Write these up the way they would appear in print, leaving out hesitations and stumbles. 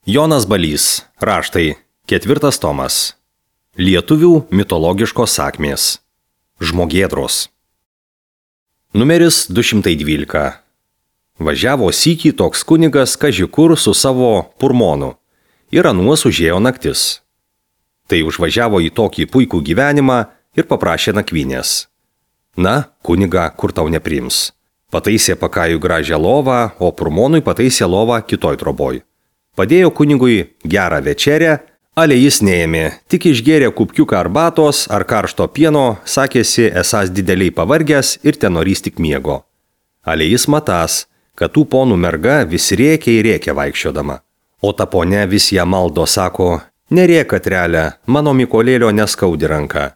Jonas Balys. Raštai. 4 tomas. Lietuvių mitologiškos sakmės. Žmogėdros. Numeris 212. Važiavo sykį toks kunigas kažikur su savo purmonu. Ir anuos užėjo naktis. Tai užvažiavo į tokį puikų gyvenimą ir paprašė nakvynės. Na, kuniga, kur tau nepriims. Pataisė pakajų gražią lovą, o purmonui pataisė lovą kitoj troboj. Padėjo kunigui gerą večerę, ale jis neėmė, tik išgėrė kupkiuką arbatos ar karšto pieno, sakėsi esąs dideliai pavargęs ir tenorys tik miego. Ale jis matas, kad tų ponų merga vis rėkia ir rėkia vaikščiodama. O ta ponė vis ją maldo, sako, nerėk, Katrelė, mano Mykolėlio neskaudi ranka.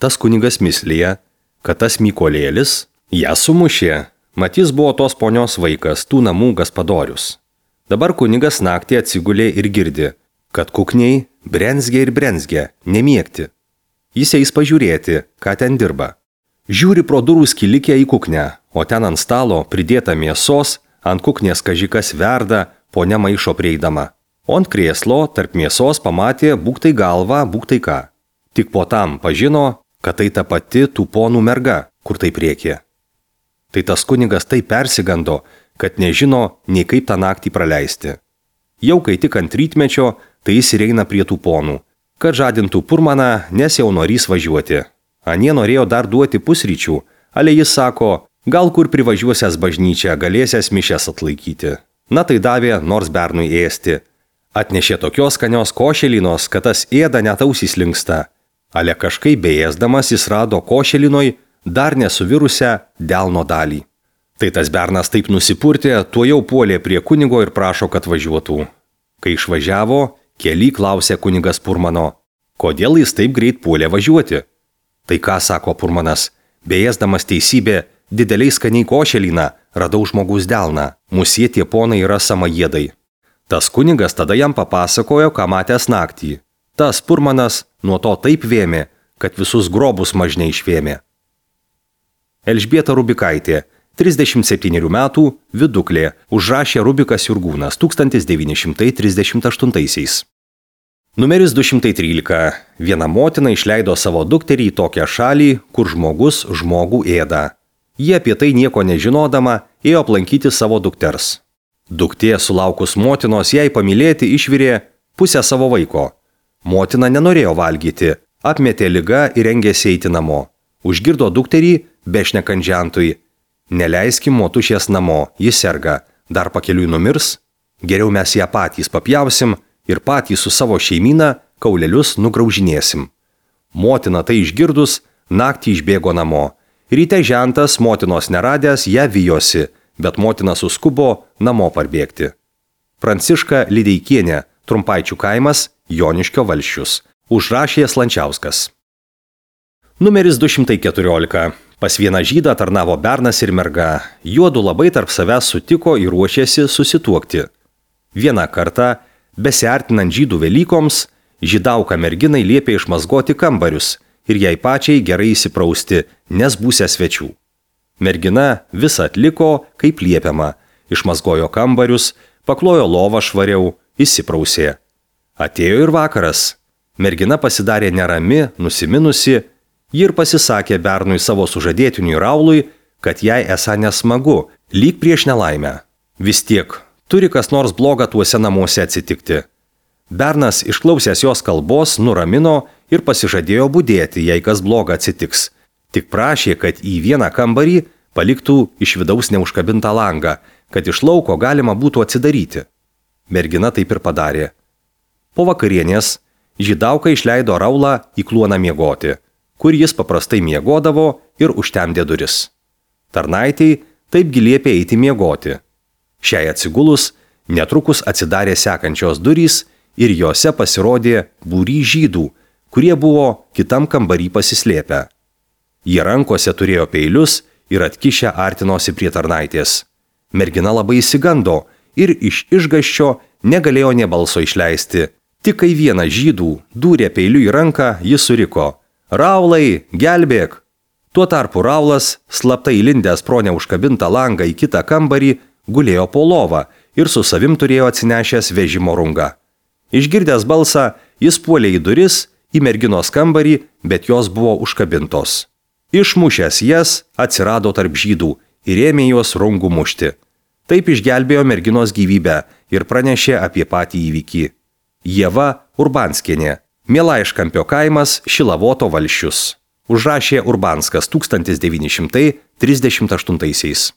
Tas kunigas mislėja, kad tas Mykolėlis ją sumušė, mat jis buvo tos ponios vaikas, tų namų gaspadorius. Dabar kunigas naktį atsigulė ir girdi, kad kukniai brenzgia ir brenzgia, nemiegti. Jis eis pažiūrėti, ką ten dirba. Žiūri pro durų skilikę į kuknę, o ten ant stalo pridėta mėsos, ant kuknės kažikas verda, ponia maišo prieidama. O ant krėslo tarp mėsos pamatė būktai galvą, būktai ką. Tik po tam pažino, kad tai ta pati tų ponų merga, kur tai priekė. Tai tas kunigas taip persigando, kad nežino, nei kaip tą naktį praleisti. Jau kai tik ant rytmečio, tai jis ir eina prie tų ponų, kad žadintų purmaną, nes jau norys važiuoti. Anie norėjo dar duoti pusryčių, ale jis sako, gal kur privažiuosias bažnyčią, galėsias mišes atlaikyti. Na tai davė nors bernui ėsti. Atnešė tokios skanios košelinos, kad tas ėda net ausys linksta. Ale kažkaip beėsdamas jis rado košelinoj dar nesuvirusią delno dalį. Tai tas bernas taip nusipurtė, tuojau puolė prie kunigo ir prašo, kad važiuotų. Kai išvažiavo, kely klausė kunigas purmano, kodėl jis taip greit puolė važiuoti. Tai ką, sako purmanas, beėsdamas teisybė, dideliai skaniai košeliną, radau žmogus delną, musie tie ponai yra samajėdai. Tas kunigas tada jam papasakojo, ką matęs naktį. Tas purmanas nuo to taip vėmė, kad visus grobus mažnei išvėmė. Elžbieta Rubikaitė, 37 metų, viduklė, užrašė Rubikas Jurgūnas 1938. Numeris 213. Viena motina išleido savo dukterį į tokią šalį, kur žmogus žmogų ėda. Jie apie tai nieko nežinodama ėjo aplankyti savo dukters. Duktė sulaukus motinos jai pamylėti išvirė pusę savo vaiko. Motina nenorėjo valgyti, apmetė ligą ir rengėsi eiti namo. Užgirdo dukterį, bešnekant žentui. Neleiskim motušės namo, jis serga, dar pakeliui numirs, geriau mes ją patys papjausim ir patys su savo šeimyna kaulelius nugraužinėsim. Motina tai išgirdus, naktį išbėgo namo. Ryte žentas, motinos neradęs, ją vijosi, bet motina suskubo namo parbėgti. Pranciška Lideikienė, Trumpaičių kaimas, Joniškio valsčius. Užrašė Slančiauskas. Numeris 214. Pas vieną žydą tarnavo bernas ir merga. Juodu labai tarp savęs sutiko ir ruošėsi susituokti. Vieną kartą, besiartinant žydų Velykoms, žydauka merginai liepė išmazgoti kambarius ir jai pačiai gerai įsiprausti, nes būsia svečių. Mergina visą atliko, kaip liepiama. Išmazgojo kambarius, paklojo lovą švariau, įsiprausė. Atėjo ir vakaras. Mergina pasidarė nerami, nusiminusi, ji ir pasisakė bernui savo sužadėtiniui Raului, kad jai esą nesmagu, lyg prieš nelaimę. Vis tiek, turi kas nors bloga tuose namuose atsitikti. Bernas, išklausęs jos kalbos, nuramino ir pasižadėjo budėti, jei kas bloga atsitiks. Tik prašė, kad į vieną kambarį paliktų iš vidaus neužkabintą langą, kad iš lauko galima būtų atsidaryti. Mergina taip ir padarė. Po vakarienės žydauka išleido Raulą į kluoną miegoti, kur jis paprastai miegodavo ir užtemdė duris. Tarnaitei taipgi liepė eiti miegoti. Šiai atsigulus netrukus atsidarė sekančios durys ir jose pasirodė būry žydų, kurie buvo kitam kambarį pasislėpę. Jie rankose turėjo peilius ir atkišę artinosi prie tarnaitės. Mergina labai įsigando ir iš išgąsčio negalėjo nė balso išleisti. Tik kai vienas žydų dūrė peiliu į ranką, jis suriko: Raulai, gelbėk! Tuo tarpu Raulas, slaptai įlindęs pro neužkabintą langą į kitą kambarį, gulėjo po lovą ir su savim turėjo atsinešęs vežimo rungą. Išgirdęs balsą, jis puolė į duris, į merginos kambarį, bet jos buvo užkabintos. Išmušęs jas, atsirado tarp žydų ir ėmė juos rungų mušti. Taip išgelbėjo merginos gyvybę ir pranešė apie patį įvykį. Ieva Urbanskienė, Mielaiškampio kaimas, Šilavoto valsčius. Užrašė Urbanskas 1938.